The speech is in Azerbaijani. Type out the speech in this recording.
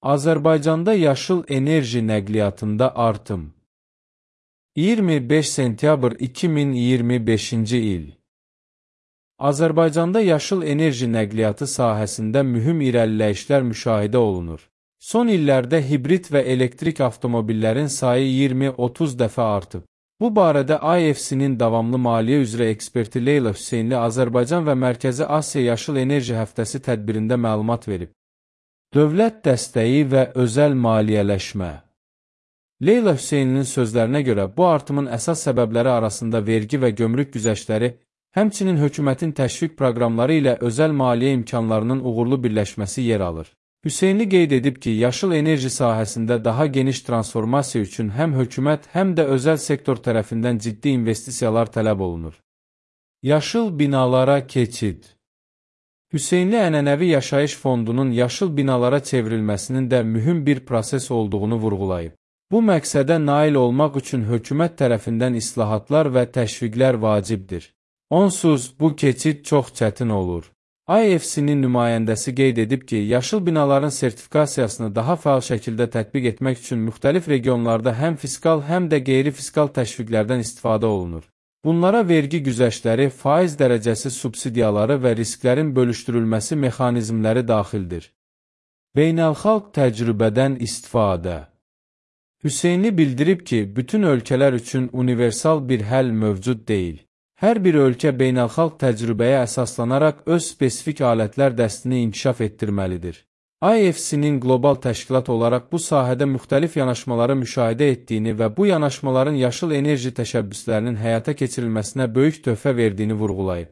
Azərbaycanda yaşıl enerji nəqliyyatında artım. 25 sentyabr 2025-ci il. Azərbaycanda yaşıl enerji nəqliyyatı sahəsində mühüm irəliləyişlər müşahidə olunur. Son illərdə hibrid və elektrik avtomobillərin sayı 20-30 dəfə artıb. Bu barədə IFC-nin davamlı maliyyə üzrə eksperti Leyla Hüseynli Azərbaycan və Mərkəzi Asiya Yaşıl Enerji Həftəsi tədbirində məlumat verib. Dövlət dəstəyi və özəl maliyyələşmə. Leyla Hüseynlinin sözlərinə görə bu artımın əsas səbəbləri arasında vergi və gömrük güzəştləri, həmçinin hökumətin təşviq proqramları ilə özəl maliyyə imkanlarının uğurlu birləşməsi yer alır. Hüseynli qeyd edib ki, yaşıl enerji sahəsində daha geniş transformasiya üçün həm hökumət, həm də özəl sektor tərəfindən ciddi investisiyalar tələb olunur. Yaşıl binalara keçid. Hüseynli ənənəvi yaşayış fondunun yaşıl binalara çevrilməsinin də mühüm bir proses olduğunu vurğulayıb. Bu məqsədə nail olmaq üçün hökumət tərəfindən islahatlar və təşviqlər vacibdir. Onsuz bu keçid çox çətin olur. IFC-nin nümayəndəsi qeyd edib ki, yaşıl binaların sertifikasiyasını daha fəal şəkildə tətbiq etmək üçün müxtəlif regionlarda həm fiskal, həm də qeyri-fiskal təşviqlərdən istifadə olunur. Bunlara vergi güzəştləri, faiz dərəcəsi subsidiyaları və risklərin bölüşdürülməsi mexanizmləri daxildir. Beynəlxalq təcrübədən istifadə. Hüseynli bildirib ki, bütün ölkələr üçün universal bir həll mövcud deyil. Hər bir ölkə beynəlxalq təcrübəyə əsaslanaraq öz spesifik alətlər dəstini inkişaf etdirməlidir. IFC-nin qlobal təşkilat olaraq bu sahədə müxtəlif yanaşmaları müşahidə etdiyini və bu yanaşmaların yaşıl enerji təşəbbüslərinin həyata keçirilməsinə böyük töhfə verdiyini vurğulayıb.